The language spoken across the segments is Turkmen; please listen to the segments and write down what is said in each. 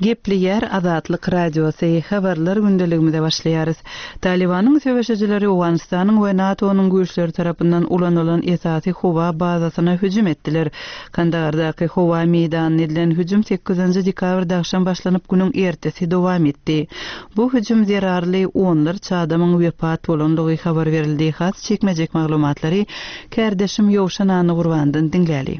Gepleýär Azatlyk Radiosy, Habarlar gündeligimize başlaýarys. Talybanyň söweşijileri Owganystanyň we NATO-nyň güýçleri tarapyndan ulanylan esasy howa bazasyna hüjüm etdiler. Kandagardaky howa meýdanyna edilen hüjüm sekizinji dekabrda agşam başlanyp, günüň ertesi dowam etdi. Bu hüjüm zerarly onlarça adamyň wepat bolandygy habar berildi. Has çekmejek maglumatlary kärdeşim Ýowşan Annagurbandan diňläli.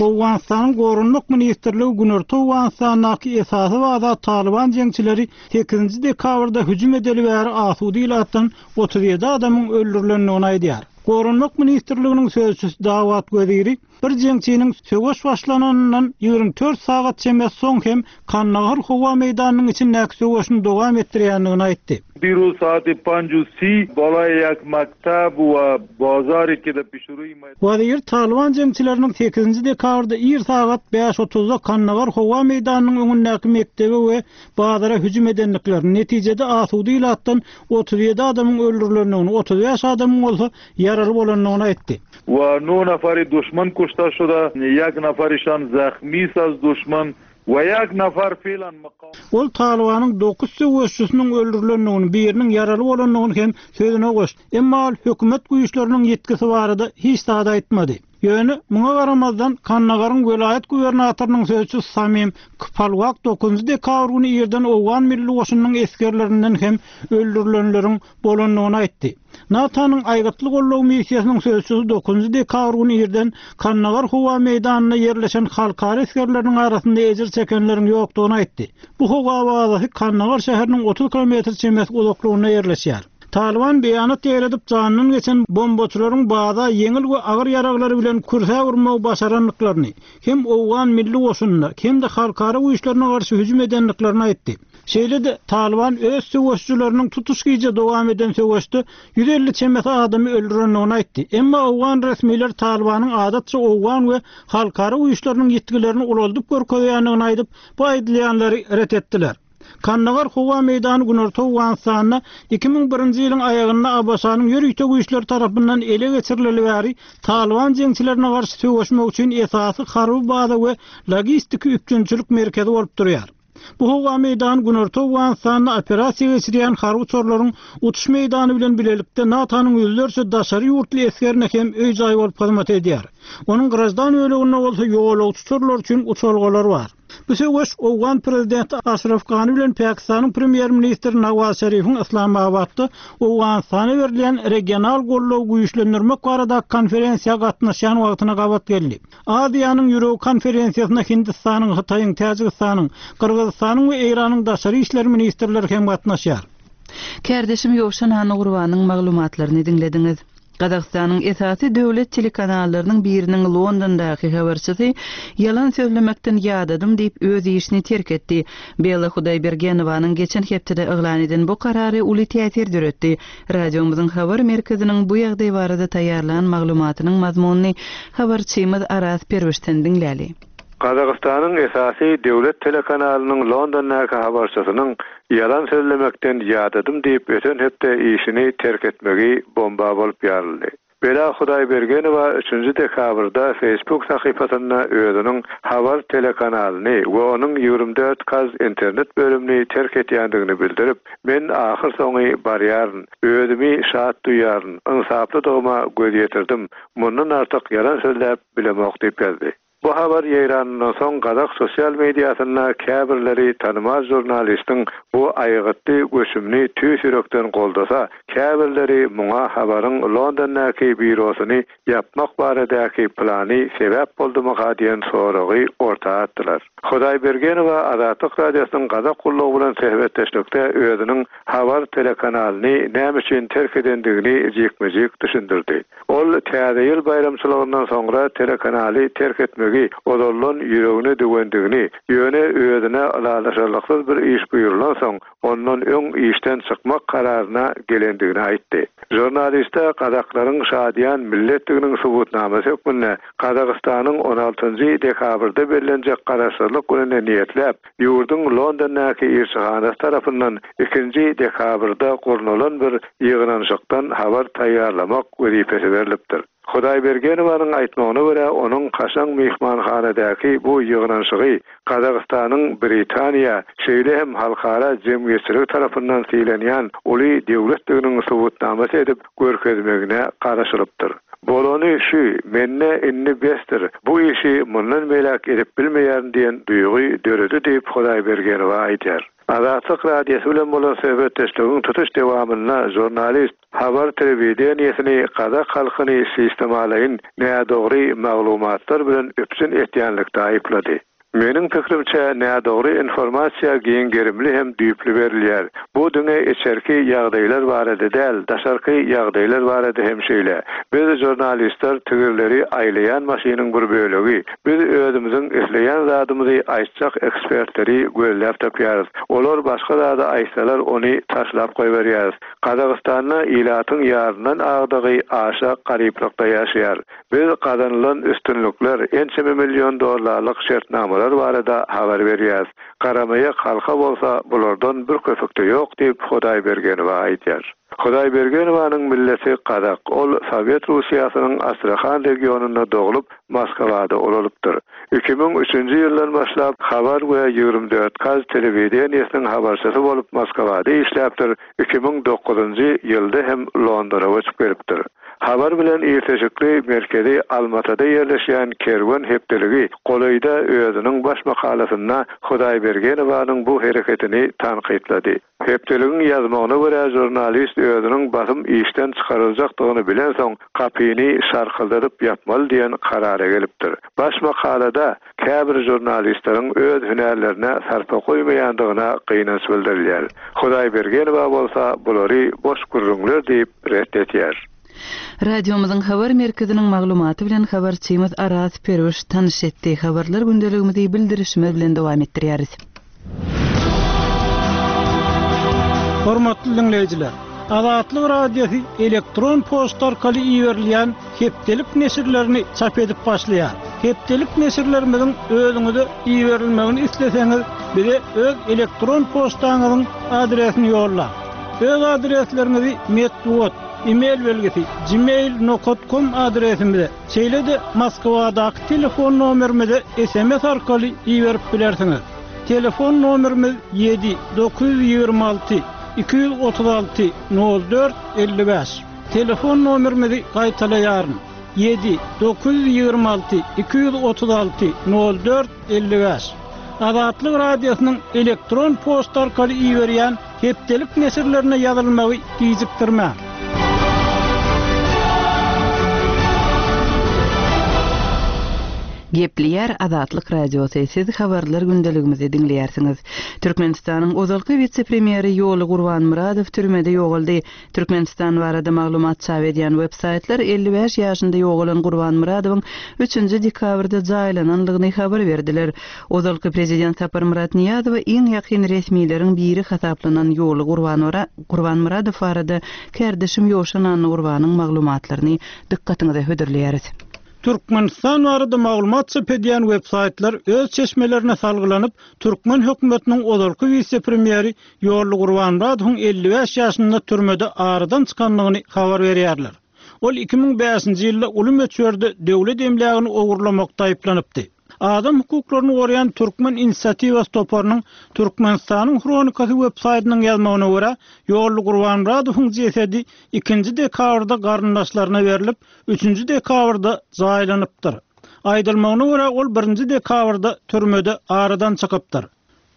Owganystanyň Goranmak ministrligi Günorta Owganystandaky esasy baza Talyban jeňçileri sekizinji dekabrda hüjüm edeli bäri asuda ilatdan 37 adamyň öldürilendigini aýdýar. Goranmak ministrliginiň sözçüsi Dawat Weziri Bir jeňçiniň söweş başlananyndan 24 sagat çemesi soň hem Kandahar howa meýdanynyň içindäki söweşini dowam etdirýändigini aýtdy. Diruz saati panj u si balay yak maktab we bazari ki de pişruyi Wezir Talyban jeňçileriniň sekizinji dekabrda ir sagat bäş otuzda Kandahar howa meýdanynyň öňündäki mekdebe we bazara hüjüm edendiklerini, netijede asuda ilatdan 37 adamyň öldürilendigini, 35 adamyň bolsa ýaraly bolandygyny aýtdy. We no nafari duşman kuşta şuda, ýek nafarişan zahmis az duşman we ýek nafar felan mukam. Ol Talybanyň dokuz söweşçisiniň öldürilendigini, biriniň ýaraly bolandygyny hem sözüne goşdy. Emma ol hökümet güýçleriniň ýitgisi barada hiç zat aýtmady. Ýöne, muňa garamazdan, Kandagaryň welaýat gubernatorynyň sözçüsi Samim Kpalwak dokuzynjy dekabr güni irden owgan milli goşunynyň esgerlerinden hem öldürilenleriň bolandygyny aýtdy. NATO-nyň Aýgytly goldaw missiýasynyň sözçüsi dokuzynjy dekabr güni irden Kandagar howa meýdanynda ýerleşen halkara esgerleriniň arasynda ejir çekenleriň ýokdugyny aýtdy. Bu howa bazasy Kandagar şäheriniň 30 kilometr çemesi uzaklygynda ýerleşýär. Talyban beýanat ýaýradyp, janyndan geçen bombaçylaryň baza ýeňil we agyr ýaraglary bilen kürsä urmagy başarandyklaryny, hem owgan milli goşunyna, hem-de halkara güýçlerine garşy hüjüm edendiklerini aýtdy. Şeýle-de, Talyban öz söweşijileriniň tutuş gije dowam eden söweşde 150 çemesi adamy öldürendigini aýtdy. Emma owgan resmileri Talybanyň adatça owgan we halkara güýçleriniň ýitgilerini ulaldyp görkezýändigini aýdyp, bu aýdylýanlary ret etdiler. Kandagar howa meýdany Günorta Owganystanda 2001-nji ýylyň aýagynda ABŞ-nyň ýörite güýçleri tarapyndan ele geçirileli bäri Talyban jeňçilerine garşy söweşmek üçin esasy harby baza we logistiki üpjünçilik merkezi bolup durýar. Bu howa meýdany Günorta Owganystanda operasiýa geçirýän harby uçarlaryň uçuş meýdany bilen bilelikde NATO-nyň ýüzlerçe daşary ýurtly esgerine hem öý-jaý bolup hyzmat edýär. Onuň graždan böleginde bolsa ýolagçy uçarlary üçin uçalgalar bar. Bu söweş owgan prezidenti Aşraf Gani bilen Pakistanyň premýer-ministri Nawaz Şerifiň Yslamabatda Owganystana berilýän regional goldawy güýçlendirmek baradaky konferensiýa gatnaşýan wagtyna gabat geldi. Aziýanyň ýüregi konferensiýasyna Hindistanyň, Hytaýyň, Täjigistanyň, Gyrgyzystanyň we Eýranyň daşary işler ministrleri hem gatnaşýar. Kärdeşim Ýowşan Annagurbanyň maglumatlaryny diňlediňiz. Gazagystanyň esasy döwlet telekanallarynyň biriniň Londondaky habarçysy ýalan sözlemekden ýadadym diýip öz işini terk etdi. Bella Hudaýbergenowanyň geçen hepdede yglan eden bu karary uly täsir döretdi. Radiomyzyň habar merkeziniň bu ýagdaý barada taýýarlan maglumatynyň mazmunyny habarçymyz Araz Perwişden diňläli. Gazagystanyň esasy döwlet telekanalynyň Londondaky habarçysynyň ýalan sözlemekden ýadadym diýip öten hepde işini terk etmegi bomba bolup ýaryldy. Bela Hudaýbergenowa üçünji dekabrda Facebook sahypasynda özüniň Habar telekanalyny we onuň 24 kaz internet bölümini terk etýändigini bildirip, Men ahyrsoňy barýaryn. Özümi şat duýýaryn. Ynsaplydygyma göz ýetirdim. Mundan artyk ýalan sözläp bilemok diýip ýazdy. Bu habar ýaýranyndan soň gazak sosial mediasynda käbirleri tanymal žurnalistiň bu aýgytly göçümini tüýs ýürekden goldasa, käbirleri muňa Habaryň Londondaky býurosyny ýapmak baradaky plany sebäp boldumyka diýen soragy orta atdylar. Hudaýbergenowa Azatlyk Radiosynyň Gazak gullugy bilen söhbetdeşlikde özüniň Habar telekanalyny näme üçin terk edendigini jikme-jik düşündirdi. Ol Täze ýyl baýramçylygyndan soňra telekanaly terk etmegi ozaldan ýüregine düwendigini, ýöne özüne ylalaşarlyksyz bir iş buýrulansoň, ondan öň işden çykmak kararyna gelendigini aýtdy. Žurnaliste gazaklaryň şadyýan milletdiginiň subutnamasy hökmünde Gazagystanyň on altynjy dekabrda bellenjek Garaşsyzlyk gününe niýetläp, ýurduň Londondaky ilçihanasy tarapyndan ikinji dekabrda gurnalan bir ýygnanyşykdan habar taýýarlamak wezipesi berlipdir. Hudaýbergenowanyň aýtmagyna görä, onuň kaşaň myhmanhanadaky bu ýygnanyşygy Gazagystanyň Britaniýa, şeýle hem halkara jemgyýetçiligi tarapyndan sylanýan uly döwletdiginiň subutnamasy edip görkezmegine garaşylypdyr. Bolany şu, mende indi besdir, bu işi mundan beýläk edip bilmeýärin diýen duýgy döredi diýip, Hudaýbergenowa aýdýar. Azatlyk Radiosy bilen bolan söhbetdeşligiň tutuş dowamynda žurnalist Habar telewideniýesini gazak halkyny sistemalaýyn nädogry maglumatlar bilen üpjün etýänlikde aýyplady. Meniň pikirimçe, nädogry informasiýa giň gerimli hem düýpli berilýär. Bu diňe içerki ýagdaýlar barada däl, daşarky ýagdaýlar barada hem şeýle. Biz, žurnalistler, tigirleri aýlaýan maşynyň bir bölegi. Biz özümiziň isleýän zadymyzy aýtjak ekspertleri gözläp tapýarys. Olar başga zady aýtsalar, ony taşlap goýberýäris. Gazagystanda ilatyň ýaryndan agdygy aşa garyplykda ýaşaýar. Biz gazanylan üstünlikler, ençeme million dollarlyk şertnamalar barada habar berýäris. Garamaýak halka bolsa bulardan bir köpük-de ýok diýip, Hudaýbergenowa aýdýar. Hudaýbergenowanyň milleti gazak. Ol Sowet Russiýasynyň Astrahan regionynda doglup, Moskwada ulalypdyr. 2003-nji ýyldan başlap Habar we 24 Kaz telewideniýesiniň habarçysy bolup Moskwada işläpdir, 2009-njy ýylda hem Londona göçüp gelipdir. Habar bilen ilteşikli merkezi Almatada ýerleşýän Kerwen hepdeligi golaýda özüniň baş makalasynda Hudaýbergenowanyň bu hereketini tankytlady. Hepdeligiň ýazmagyna görä, žurnalist özüniň basym işden çykaryljakdygyny bilensoň, gapyny şarkyldadyp ýapmaly diýen karara gelipdir. Baş makalada käbir žurnalistleriň öz hünärlerine sarpa goýmaýandygyna gynanç bildirilýär. Hudaýbergenowa bolsa bulary boş gürrüňler diýip ret edýär. Radiomyzyň habar merkeziniň maglumaty bilen habarçymyz Araz Perwiş tanyş etdi. Habarlar gündeligimizi bildirişimiz bilen dowam etdirýäris. Hormatly diňleýjiler! Azatlyk Radiosy elektron poçta arkaly iberilýän hepdelik neşirlerini çap edip başlaýar. Hepdelik neşirlerimiziň özüňize iberilmegini isleseňiz, bize öz elektron poçtaňyzyň adresini ýollaň. Öz adresleriňizi metbugat, e-mail belgisi, gmail nokat kom adresimize, şeýle-de Moskwadaky telefon nomerimize sms arkaly iberip bilersiňiz. Telefon nomerimiz ýedi, 926 236 04 55. Telefon nomerimizi gaýtalaýaryn, ýedi, 926 236 04 55. Azatlyk Radiosynyň elektron poçta arkaly iberýän Hepdelik neşirlerine ýazylmagy gijikdirmäň. Gepleýär Azatlyk Radiosy, siz habarlar gündeligimizi diňleýärsiňiz. Türkmenistanyň ozalky wise-premýeri Ýoly Gurbanmyradow türmede ýogaldy. Türkmenistan barada maglumat çap edýän web-saýtlar 55 ýaşynda ýogalan Gurbanmyradowyň üçünji dekabrda jaýlananlygyny habar berdiler. Ozalky prezident Saparmyrat Nyýazowa iň ýakyn resmileriň biri hasaplanan Ýoly Gurbanmyradow barada kärdeşim Ýowşan Annagurbanyň maglumatlaryny dykgatyňyza hödürleýäris. Türkmenistan barada maglumat çap edýän web-saýtlar öz çeşmelerine salgylanyp, türkmen hökümetiniň ozalky wise-premýeri Ýolly Gurbanmyradowyň 55 ýaşynda türmede aradan çykandygyny habar berýärler. Ol 2005-nji ýylda uly möçberde döwlet emlägini ogurlamakda aýyplanypdy. Adam hukuklaryny goraýan Türkmen inisiatiwasy toparynyň Türkmenistanyň Hronikasy web-saýtynyň ýazmagyna görä, Ýolly Gurbanmyradowyň jesedi ikinji dekabrda garyndaşlaryna berlip, üçünji dekabrda jaýlanypdyr. Aýdylmagyna görä, ol birinji dekabrda türmede aradan çykypdyr.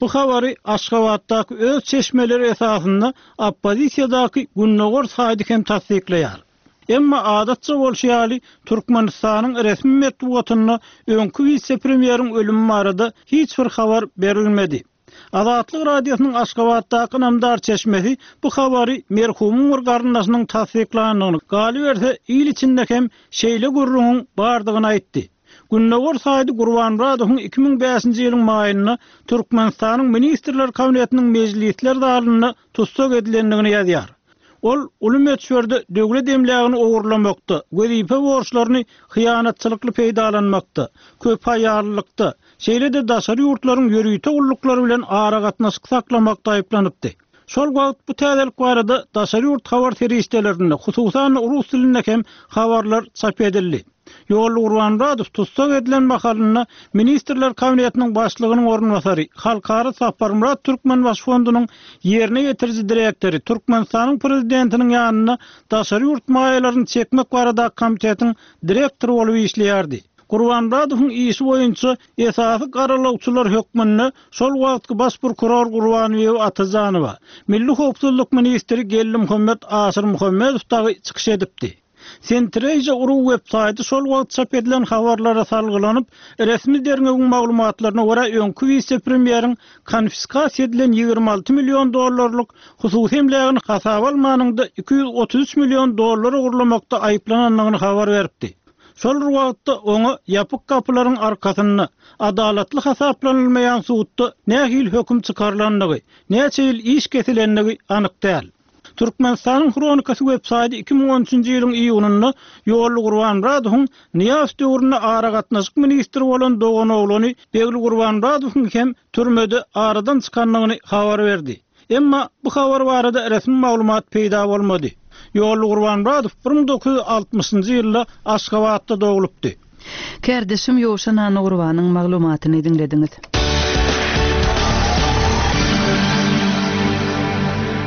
Bu habary Aşgabatdaky öz çeşmeleri esasynda oppozisiýadaky Gündogar saýty hem tassyklaýar. Emma adatça bolşy ýaly, Türkmenistanyň resmi metbugatynda öňki wise-premýeriň ölümi barada hiç bir habar berilmedi. Azatlyk Radiosynyň Aşgabatdaky ynamdar çeşmesi bu habary merhumyň bir garyndaşynyň tassyklandygyny, galyberse, il içinde hem şeýle gürrüňiň bardygyny aýtdy. Gündogar saýty Gurbanmyradowyň 2005-nji ýylyň maýynda Türkmenistanyň Ministrler Kabinetiniň mejlisler zalynda tussag edilendigini ýazýar. Ol uly möçberde döwlet emlägini ogurlamakda, wezipe borçlaryny hyýanatçylykly peýdalanmakda, köpaýallylykda, şeýle-de daşary ýurtlaryň ýörite gulluklary bilen aragatnaşyk saklamakda aýyplanypdy. Şol wagt bu täzelik barada daşary ýurt habar serişdelerinde, hususan-da rus dilinde hem habarlar çap edildi. Ýolly Gurbanmyradow tussag edilen mahalynda Ministrler Kabinetiniň Başlygynyň orunbasary, Halkara Saparmyrat Türkmenbaşy fondunyň ýerine ýetiriji direktory, Türkmenistanyň Prezidentiniň ýanynda daşary ýurt maýalaryny çekmek baradaky komitetiň direktory bolup işleýärdi. Gurbanmyradowyň işi boýunça esasy garalawçylar hökmünde şol wagtky baş prokuror Gurbanbibi Atajanowa, Milli howpsuzlyk ministri Geldimuhammet Aşyrmuhammedow dagy çykyş edipdi. Centrasia ru websaýty şol wagt çap edilen habarlara salgylanyp, resmi derňewiň maglumatlaryna görä öňki wise-premýeriň konfiskasiýa edilen 26 million dollarlyk hususy emlägini hasaba almanyňda 233 million dollar ogurlamakda aýyplanandygyny habar beripdi. Şol bir wagtda oňa ýapyk gapylaryň arkasynda, adalatly hasaplanylmaýan sudda nähili höküm çykarylandygy, näçe ýyl iş kesilendigi anyk däl. Türkmenistanyň Hronikasy websaýty 2013-nji ýylyň iýunynda Ýolly Gurbanmyradowyň Nyýazow döwründe aragatnaşyk ministri bolan doganoglany Begli Gurbanmyradowyň hem türmede aradan çykandygyny habar berdi. Emma bu habar barada resmi maglumat peýda bolmady. Ýolly Gurbanmyradow 1960-njy ýylda Aşgabatda doglupdy. Kärdeşim Ýowşan Annagurbanyň maglumatyny diňlediňiz.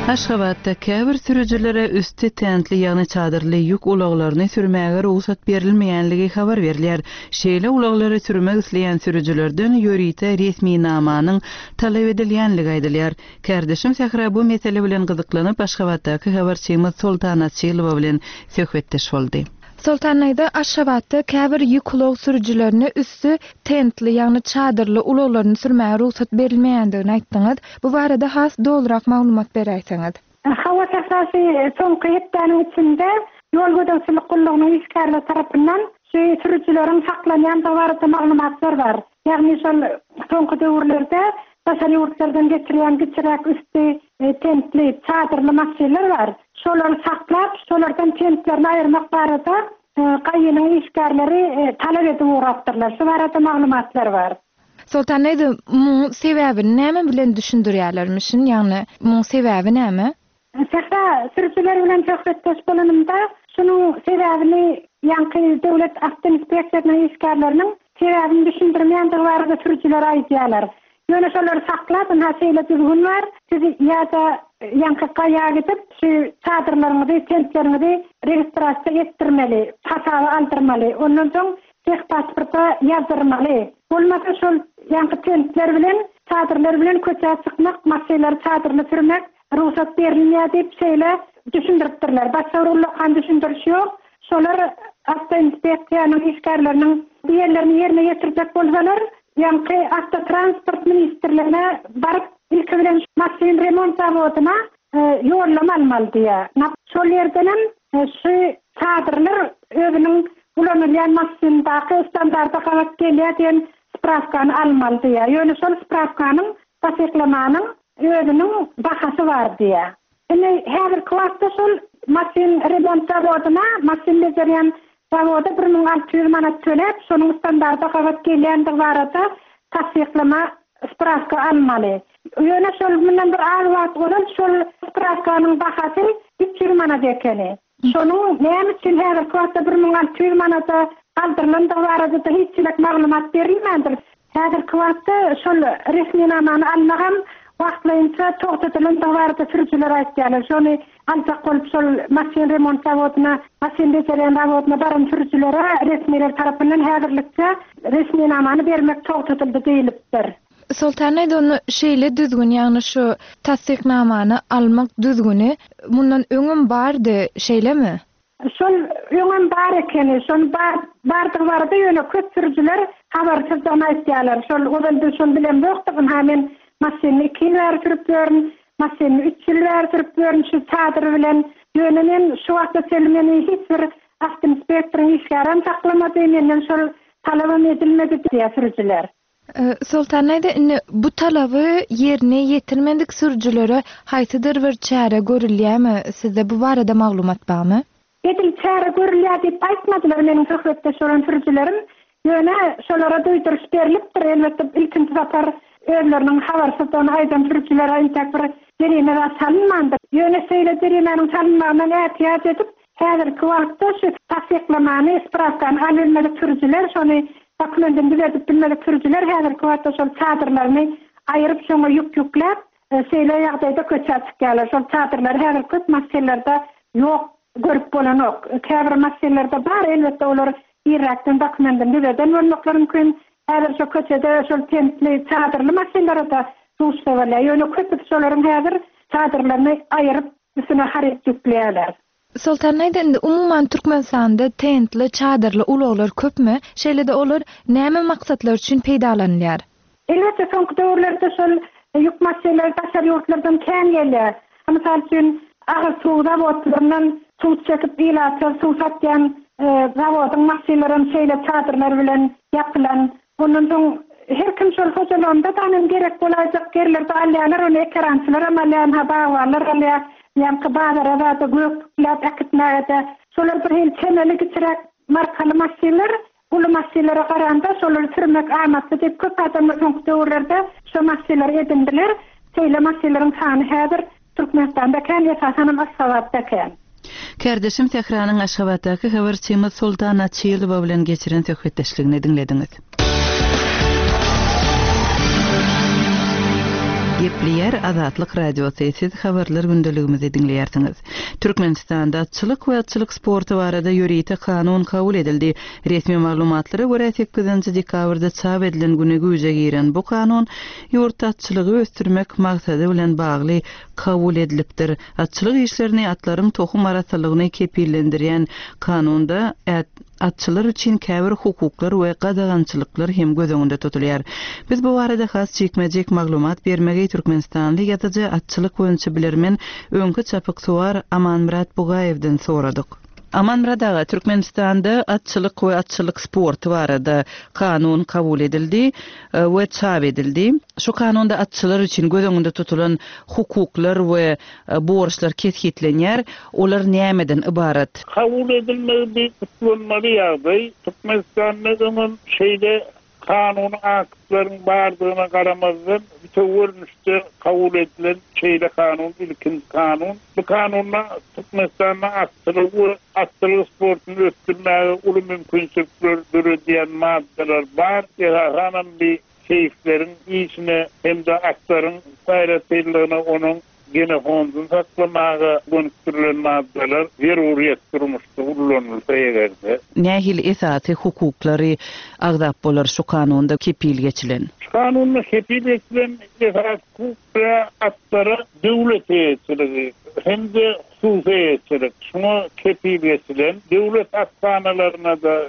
Aşgabatda käbir sürüjilere üsti tentli, ýagny çadyrly ýük ulaglaryny sürmäge rugsat berilmeýänligi habar berilýär. Şeýle ulaglary sürmek isleýän sürüjilerden ýörite resminamanyň talap edilýänligi aýdylýar. Kärdeşim Sähra bu mesele bilen gyzyklanyp, Aşgabatdaky habarçymyz Soltan Açylowa bilen söhbetdeş boldy. Soltan daýza, Aşgabatda käbir ýük ulag sürüjilerine üsti tentli, ýagny çadyrly ulaglaryny sürmäge rugsat berilmeýändigini aýtdyňyz. Bu barada has dolurak maglumat beräýseňiz. Hawa Sähra şu soňky hepdäniň içinde ýol gözegçilik gullugynyň işgärleri tarapyndan şu sürüjileriň saklanýandygy barada maglumatlar bar. Ýagny şol soňky döwürlerde daşary ýurtlardan getirýän kiçiräk üsti tentli, çadyrly maşynlar bar. Şolary saklap, şolardan tentlerini aýyrmak barada GAI-niň işgärleri talap edip ugrapdyrlar. Şu barada maglumatlar bar. Soltan daýza, muň sebäbini näme bilen düşündirýärlermişin? Ýagny muň sebäbi näme? Sähra sürüjiler bilen söhbetdeş bolanymda, şunuň sebäbini ýaňky döwlet awtoinspeksiýasynyň işgärleriniň sebäbini düşündirmeýändigi barada sürüjiler aýdýarlar. Ýöne şolary saklap, ynha şeýle düzgün bar, siz ýa-da ýaňky gaýa gidip, şu çadyrlaryňyzy, tentleriňizi registrasiýa etdirmeli, hasaba aldyrmaly, ondan soň tehpasporta ýazdyrmaly. Bolmasa şol ýaňky tentler bilen, çadyrlar bilen köçä çykmak, maşynlary çadyrly sürmek Rugsat berilmeýär diýip şeýle düşündiripdirler. Başga bir ullakan düşündiriş ýok. Şolar awtoinspeksiýanyň işgärleriniň diýenlerini ýerine ýetirjek bolsalar, ýaňky awtotransport ministrligine baryp, ilki bilen maşyn remont zawodyna ýollama almaly diýýär. Şol ýerdenem şu çadyrlar özüniň ulanylýan maşyndaky standarda gabat gelýär diýen sprawkany almaly diýýär. Ýöne şol sprawkanyň tassyklamanyň Özüniň bahasy bar diýýär. Indi häzirki wagtda şol maşyn remont zawodyna, maşyn bejerýän zawoda 1600 manat töläp, şonuň standarda gabat gelýändigi barada tassyklama, sprawka almaly. Ýöne şol mundan bir az wagt ozal şol sprawkanyň bahasy 300 manat ekeni. Şonuň näme üçin häzirki wagtda 1600 manada galdyrylandygy barada-da hiç hili maglumat berilmändir. Häzirki wagtda şol resminamany almagam wagtlaýynça togtadylandygy barada sürüjiler aýtýarlar. Şony aljak bolup şol maşyn remont zawodyna, maşyn bejerýän zawodyna baran sürüjilere resmiler tarapyndan häzirlikçe resminamany bermek togtadyldy diýlipdir. Soltan aýda onda şeýle düzgün, ýagny şu tassyknamany almak düzgüni mundan öňem bardy, şeýlemi? Şol öňem bar ekeni, şony bar bardygy barada ýöne köp sürüjiler habarsyzdygyny aýtýarlar. Şol ozal biz şony bilemzokdyk, ynha men maşynyny iki ýyl bäri sürüp ýörün, maşynyny üç ýyl bäri sürüp ýörün şu çadyr bilen. Ýöne men şu wagta çenli meni hiç bir awtoinspektoryň işgärem saklamady, menden şol talabam edilmedi diýýär sürüjiler. Soltan daýza, indi bu talaby ýerine ýetirmedik sürüjilere haýsydyr bir çäre görülýärmi? Sizde bu barada maglumat barmy? Edil çäre görülýär diýip aýtmadylar meniň söhbetdeş bolan sürüjilerim. Ýöne şolara duýduryş berlipdir. Elbetde, ilkinji sapar. özleriniň habarsyzdygyny aýdan sürüjilere entek bir jerime zat salynmandyr. Ýöne şeýle jerimäniň salynmagyndan ätiýaç edip, häzirki wagtda şu tassyklamany, sprawkany alybilmedik sürüjiler, şony dokumentini düzedip bilmedik sürüjiler häzirki wagtda şol çadyrlaryny aýyryp, şoňa ýük ýükläp, şeýle ýagdaýda köçä çykýarlar. Şol çadyrlary häzir köp maşynlarda ýok, görüp bolanok. Käbir maşynlarda bar, elbetde olar irräkden dokumentini düzeden bolmaklary mümkin. Häzir şo köçede şol tentli, çadyrly maşynlara-da duşsa bolýar. Ýöne köpüsi şolaryň häzir çadyrlaryny aýyryp, üstüne haryt ýükleýärler. Soltan aýda indi umuman Türkmenistanda tentli, çadyrly ulaglar köpmi? Şeýle-de olar näme maksatlar üçin peýdalanylýar? Elbetde soňky döwürlerde şol ýük maşynlary daşary ýurtlardan kän gelýär. Mysal üçin, agyz suw zawodlaryndan suw çekip ilata suw satýan zawodyň maşynlaram şeýle çadyrlar bilen ýapylan. Ondan soň her kim şol hojalygynda danym gerek bolaýjak ýerlerde alýarlar, ony ekerançylaram alýar, ynha bagbanlar alýar, ýaňky bazara zada gök ýükläp äkitmäge-de. Şolar bir hili çemeli kiçiräk markaly maşynlar, Uly maşynlara garanda şolary sürmek amatly diýip köp adamlar soňky döwürlerde şo maşynlary edindiler. Şeýle maşynlaryň sany häzir Türkmenistanda kän esasanam Aşgabatda kän. Kärdeşim Sähranyň Aşgabatdaky habarçymyz Soltan Açylowa bilen geçiren söhbetdeşligini diňlediňiz. Gepleýär Azatlyk Radiosy, siz Habarlar gündeligimizi diňleýärsiňiz. Türkmenistanda atçylyk we atçylyk sporty barada ýörite kanun kabul edildi. Resmi maglumatlara görä, sekizinji dekabrda çap edilen güni güýje giren bu kanun ýurtda atçylygy ösdürmek maksady bilen bagly kabul edilipdir. Atçylyk işlerini, atlaryň tohum arassalygyny kepillendirýän kanunda atçylar üçin käbir hukuklar we gadagançylyklar hem göz öňünde tutulýar. Biz bu barada has jikme-jik maglumat bermegi türkmenistanly ýazyjy, atçylyk boýunça bilermen, öňki çapyksuwar Amanmyrat Bugaýewden soradyk. Amanmyrat aga, Türkmenistanda atçylyk we atçylyk sporty barada kanun kabul edildi we çap edildi. Şu kanunda atçylar üçin göz öňünde tutulan hukuklar we borçlar kesgitlenýär. Olar nämeden ybarat? Kabul edilmegi bir gutlanmaly ýagdaý. Türkmenistanda öňem şeýle kanuny aktlaryň bardygyna garamazdan, bütewi görnüşde kabul edilen şeýle kanun ilkinji kanun. Bu kanunda Türkmenistanda atçylygy we atçylyk sportuny ösdürmäge uly mümkinçilikler döredýän maddalar bar. Esasanam bi seýisleriň işine hem-de atlaryň aýratynlygyna onuň genofondyny saklamaga gönükdirilen maddalar zeruryýet durmuşda ullanylsa eger-de. Nähili esasy hukuklary agzap bolar şu kanunda kepil geçilen? Şu kanunda kepil geçilen esasy hukuklar atlara döwlet eýeçiligi hem-de hususy eýeçilik, şuňa kepil geçilen, döwlet athanalaryna-da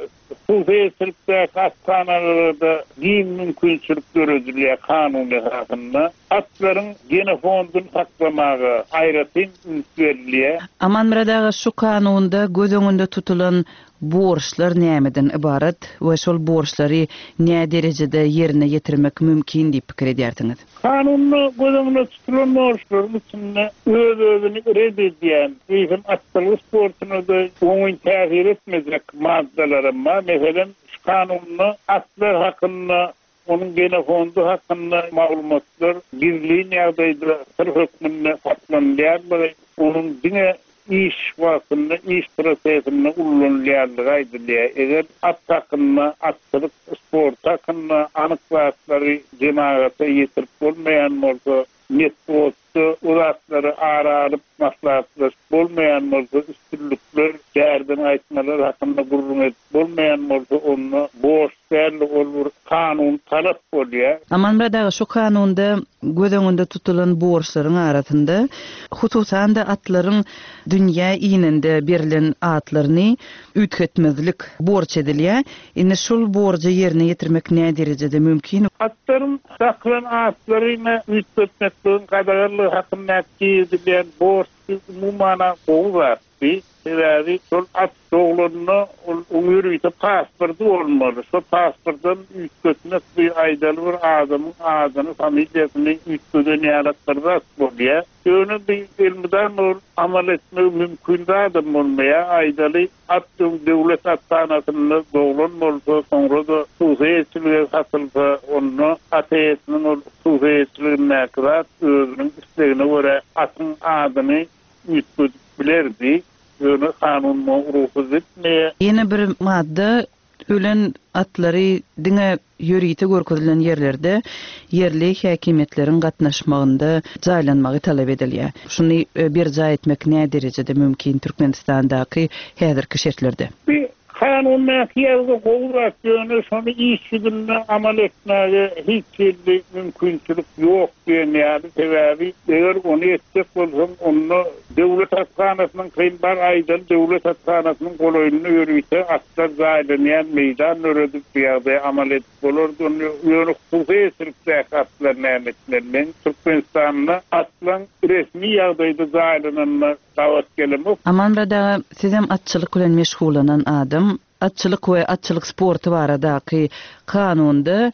Hususy eýeçilikdäki athanalarda giň mümkinçilik döredilýär kanun esasynda. Atlaryň genofondyny saklamaga aýratyn üns berilýär. Amanmyrat aga şu kanunda göz öňünde tutulan borçlar nämeden ybarat we şol borçlary näderejede ýerine ýetirmek mümkin diýip pikir edýärsiňiz? Kanunda göz öňünde tutulan borçlaryň içinde öz-özüni ret edýän, eýsem atçylyk sportuna-da oňyn täsir etmejek maddalaram bar. Meselem, şu kanunda atlar hakynda, onuň genofondy hakynda maglumatlar gizlin ýagdaýda syr hökmünde saklanylýandygy, onuň diňe iş wagtynda, iş prosesinde ullanylýandygy aýdylýar. Eger at hakynda, atçylyk sporty hakynda anyk zatlary jemagata ýetirip bolmaýan bolsa, metbugatda o zatlary ara alyp maslahatlaşyp bolmaýan bolsa, üstünlikler, bärden gaýtmalar hakynda gürrüň edip bolmaýan bolsa, onda borç däl-de, ol bir kanuny talap bolýar. Amanmyrat aga, şu kanunda göz öňünde tutulan borçlaryň arasynda, hususan-da, atlaryň dünýä inende berlen atlaryny üýtgetmezlik borç edilýär. Indi şol borjy ýerine ýetirmek näderejede mümkin? Atlaryň dakylan atlaryny üýtgetmekligiň gadaganlygy hakyndaky girizilýän borç. Umuman-a gowy zatdy. Sebäbi şol at doglanda ol oň ýörite pasporty bolmaly. Şo pasportam üýtgetmek bi aýdaly bir adamyň adyny, familiýasyny üýtgeden ýalak bir zat bolýa. Ýöne bi elmydama ol amal etmegi mümkin zadam bolmaýa. Aýdaly at öň döwlet athanasynda doglan bolsa, soňra-da hususy eýeçilige satylsa, onda at eýesiniň ol hususy eýeçiligindäki zat özüniň islegine görä atyň adyny üýtgedip bilerdi, ýöne kanun muňa rugsat etmeýär. Ýene bir madda ölen atlary diňe ýörite görkezilen ýerlerde ýerli häkimiýetleriň gatnaşmagynda jaýlanmagy talap edilýär. Şuny berjaý etmek näderejede mümkin Türkmenistandaky häzirki şertlerde? Bu Kanundaky ýazgy gowy zat, ýöne şony iş ýüzünde amal etmäge hiç hili mümkinçilik ýok diýen ýaly, sebäbi eger ony etjek bolsaň, onda döwlet athanasynyň kyn bar aýdaly döwlet athanasynyň golaýynda ýörite atlar jaýlanýan meýdan döredip bu ýagdaýy amal edip bolardy, onda ýöne hususy eýeçilikdäki atlar näme etmeli? Men Türkmenistanda atlaň resmi ýagdaýda jaýlananyna Gabat gelemok. Amanmyrat aga, sizem atçylyk bilen meşgullanan adam. Atçylyk we atçylyk sporty baradaky kanunda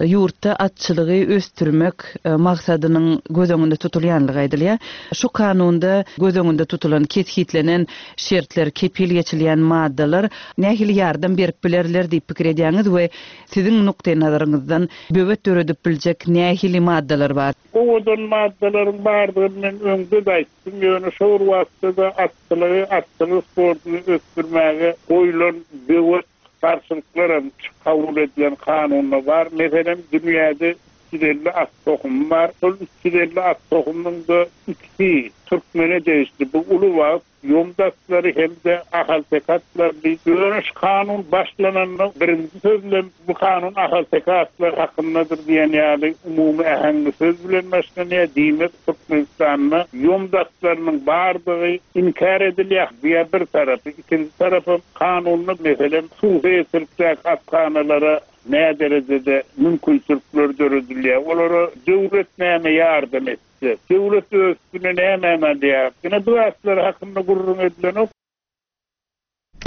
ýurtda atçylygy ösdürmek maksadynyň göz öňünde tutulýanlygy aýdylýar. Şu kanunda göz öňünde tutulan, kesgitlenen şertler, kepil geçilýän maddalar nähili ýardam berip bilerler diýip pikir edýäňiz we siziň nukdaýnazaryňyzdan böwet döredip biljek nähili maddalar bar? Owadan maddalaryň bardygyny men öňde-de aýtdym, ýöne şo bir wagtda-da atçylygy, atçylyk sportuny ösdürmäge goýlan böwet garşylyklaram şu kabul edilen kanunda bar. Meselem, dünýäde 350 at tohumy bar. Şol 350 at tohumynyň-da ikisi türkmene degişli. Bu uly wagt. Ýomut atlary hem-de ahalteke atlary. Ýöne şu kanun başlananda birinji sözlem bu kanun ahalteke atlary hakyndadyr diýen ýaly umumy äheňli söz bilen başlanýar. Diýmek, Türkmenistanda ýomut atlarynyň bardygy inkär edilýär. Bu-ýa bir tarapy. Ikinji tarapam kanunda, meselem, hususy eýeçilikdäki athanalara näderejede mümkinçilikler döredilýär, olara döwlet näme ýardam etýär? Döwlet öz üstüne nämäni alýar? Ine bu zatlar hakynda gürrüň edilenok.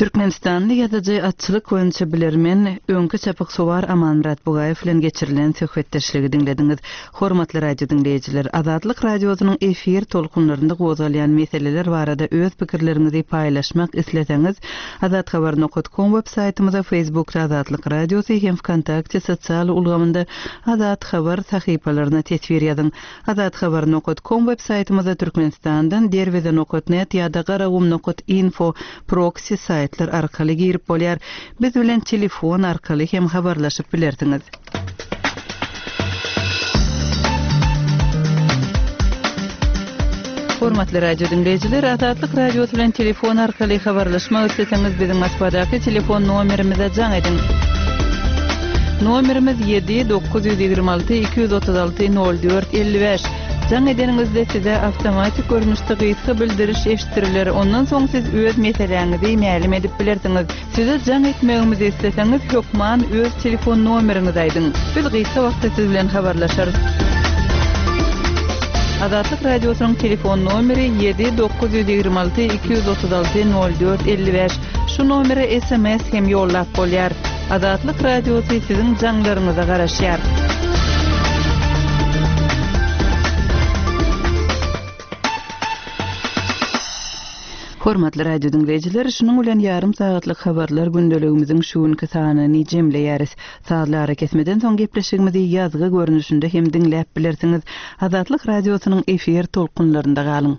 Türkmenistanly ýazyjy, atçylyk boýunça bilermen, öňki çapyksuwar Amanmyrat Bugaýew bilen geçirilen söhbetdeşligi diňlediňiz. Hormatly radio diňleýjiler, Azatlyk Radiosynyň efir tolkunlarynda gozgalýan meseleler barada öz pikirleriňizi paýlaşmak isleseňiz, azathabar nokat kom web saýtymyza, Facebookda Azatlyk Radiosy hem Wkontakte sosial ulgamynda Azat Habar sahypalaryna teswir ýazyň. Azat Habar nokat kom web saýtymyzda Türkmenistandan Derweze nokat net ýa-da Garagum nokat info proksi saýtlar arkaly girip bolýar. Biz bilen telefon arkaly hem habarlaşyp bilersiňiz. Hormatly radio diňleýjiler, Azatlyk Radiosy bilen telefon arkaly habarlaşmak isleseňiz biziň Moskwadaky telefon nomerimize jaň ediň. Nomerimiz 7 926 236 04 55. Jaň edeniňizde size awtomatik görnüşde gysga bildiriş eşitdiriler. Ondan soň siz öz meseläňizi mälim edip bilersiňiz. Size jaň etmegimizi isleseňiz hökman öz telefon nomeriňizi aýdyň. Biz gysga wagtda siz bilen habarlaşarys. Azatlyk Radiosynyň telefon nomeri 7 926 236 04 55. Şu nomere sms hem ýollap bolýar. Azatlyk Radiosy siziň jaňlaryňyza garaşýar. Hormatly radio diňleýjiler, şunuň bilen ýarym sagatlyk habarlar gündeligimiziň şu günki sanyny jemleýäris. Sazly arakesmeden soň gepleşigimizi ýazgy görnüşinde hem diňläp bilersiňiz. Azatlyk Radiosynyň efir tolkunlarynda galyň!